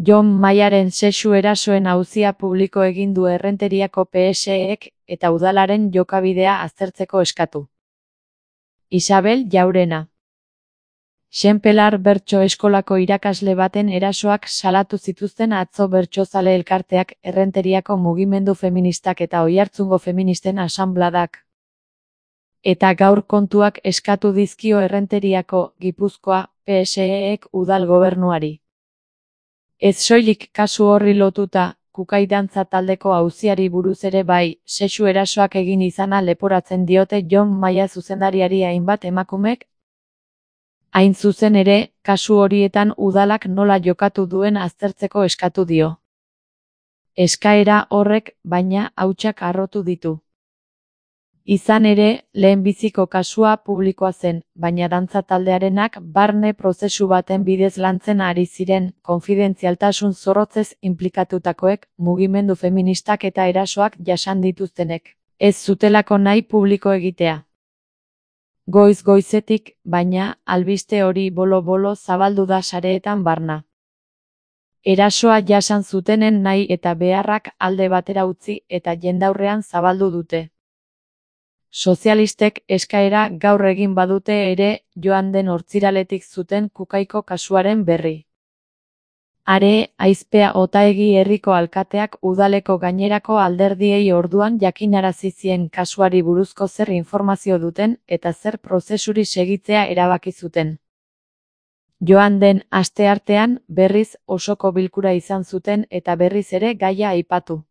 Jon Maiaren sexu erasoen auzia publiko egin du Errenteriako PSEek eta udalaren jokabidea aztertzeko eskatu. Isabel Jaurena. Xenpelar bertso eskolako irakasle baten erasoak salatu zituzten atzo bertsozale elkarteak, Errenteriako mugimendu feministak eta Oiartzungo feministen asanbladak. Eta gaur kontuak eskatu dizkio Errenteriako, Gipuzkoa, PSEek udal gobernuari. Ez soilik kasu horri lotuta, Kukai dantza taldeko auziari buruz ere bai, sexu erasoak egin izana leporatzen diote Jon Maia zuzendariari hainbat emakumek. Hain zuzen ere, kasu horietan udalak nola jokatu duen aztertzeko eskatu dio. Eskaera horrek, baina, hautsak harrotu ditu. Izan ere, lehenbiziko kasua publikoa zen, baina dantza taldearenak barne prozesu baten bidez lantzen ari ziren, konfidentzialtasun zorrotzez inplikatutakoek, mugimendu feministak eta erasoak jasan dituztenek. Ez zutelako nahi publiko egitea. Goiz-goizetik, baina, albiste hori bolo-bolo zabaldu da sareetan barna. Erasoa jasan zutenen nahi eta beharrak alde batera utzi eta jendaurrean zabaldu dute. Sozialistek eskaera gaur egin badute ere, joan den ostiraletik zuten Kukaiko kasuaren berri. Are, Aizpea Otaegi herriko alkateak udaleko gainerako alderdiei orduan jakinarazi zien kasuari buruzko zer informazio duten eta zer prozesuri segitzea erabaki zuten. Joan den asteartean, berriz osoko bilkura izan zuten eta berriz ere gaia aipatu.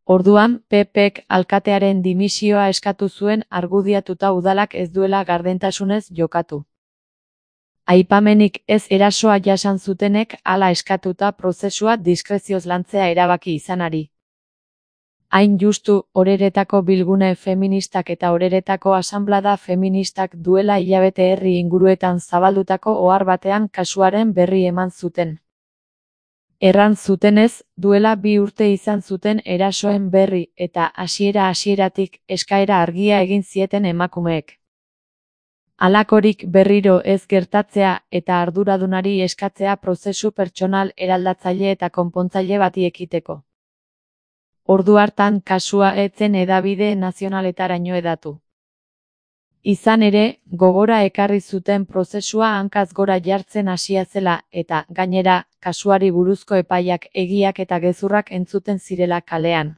Orduan, PPek alkatearen dimisioa eskatu zuen argudiatuta udalak ez duela gardentasunez jokatu. Aipamenik ez erasoa jasan zutenek hala eskatuta prozesua diskrezioz lantzea erabaki izanari. Hain justu, Oreretako bilgune feministak eta Oreretako asanblada feministak duela hilabete herri inguruetan zabaldutako ohar batean kasuaren berri eman zuten. Erran zutenez, duela 2 urte izan zuten erasoen berri eta hasieratik eskaera argia egin zieten emakumeek. Halakorik berriro ez gertatzea eta arduradunari eskatzea prozesu pertsonal eraldatzaile eta konpontzaile bati ekiteko. Ordu hartan kasua ez zen hedabide nazionaletaraino hedatu. Izan ere, gogora ekarri zuten prozesua hankaz gora jartzen hasia zela eta, gainera, kasuari buruzko epaiak egiak eta gezurrak entzuten zirela kalean.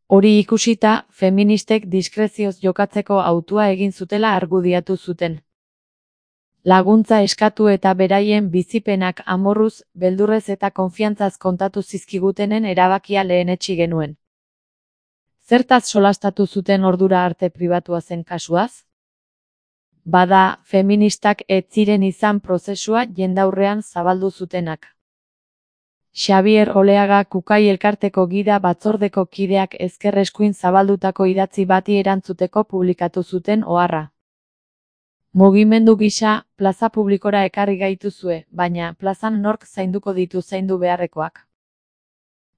Hori ikusita, feministek diskrezioz jokatzeko hautua egin zutela argudiatu zuten. Laguntza eskatu eta beraien bizipenak amorruz, beldurrez eta konfiantzaz kontatu zizkigutenen erabakia lehenetsi genuen. Zertaz solastatu zuten ordura arte pribatua zen kasuaz? Bada, feministak ez ziren izan prozesua jendaurrean zabaldu zutenak. Xabier Oleaga Kukai elkarteko gida batzordeko kideak ezker eskuin zabaldutako idatzi bati erantzuteko publikatu zuten oharra. Mugimendu gisa, plaza publikora ekarri gaituzue, baina plazan nork zainduko ditu zaindu beharrekoak.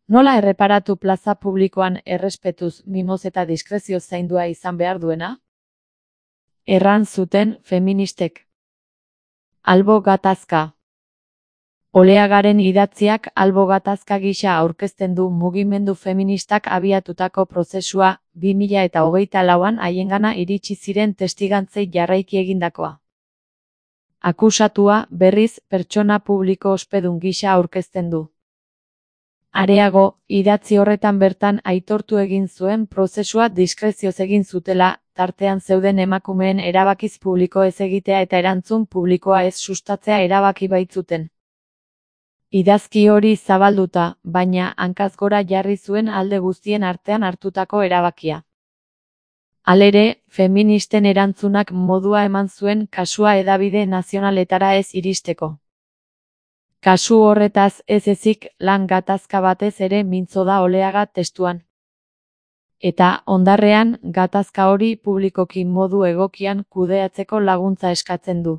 Nola erreparatu plaza publikoan errespetuz, mimoz eta diskrezioz zaindua izan behar duena? Erran zuten feministek. Albo gatazka. Oleagaren idatziak albo gatazka gisa aurkezten du mugimendu feministak abiatutako prozesua, 2024an haiengana iritsi ziren testigantzei jarraiki egindakoa. Akusatua, berriz, pertsona publiko ospedun gisa aurkezten du. Areago, idatzi horretan bertan aitortu egin zuen prozesua diskrezioz egin zutela, tartean zeuden emakumeen erabakiz publiko ez egitea eta erantzun publikoa ez sustatzea erabaki baitzuten. Idazki hori zabalduta, baina hankaz gora jarri zuen alde guztien artean hartutako erabakia. Halere, feministen erantzunak modua eman zuen kasua hedabide nazionaletara ez iristeko. Kasu horretaz ez ezik lan gatazka batez ere mintzo da Oleaga testuan. Eta, ondarrean, gatazka hori publikoki modu egokian kudeatzeko laguntza eskatzen du.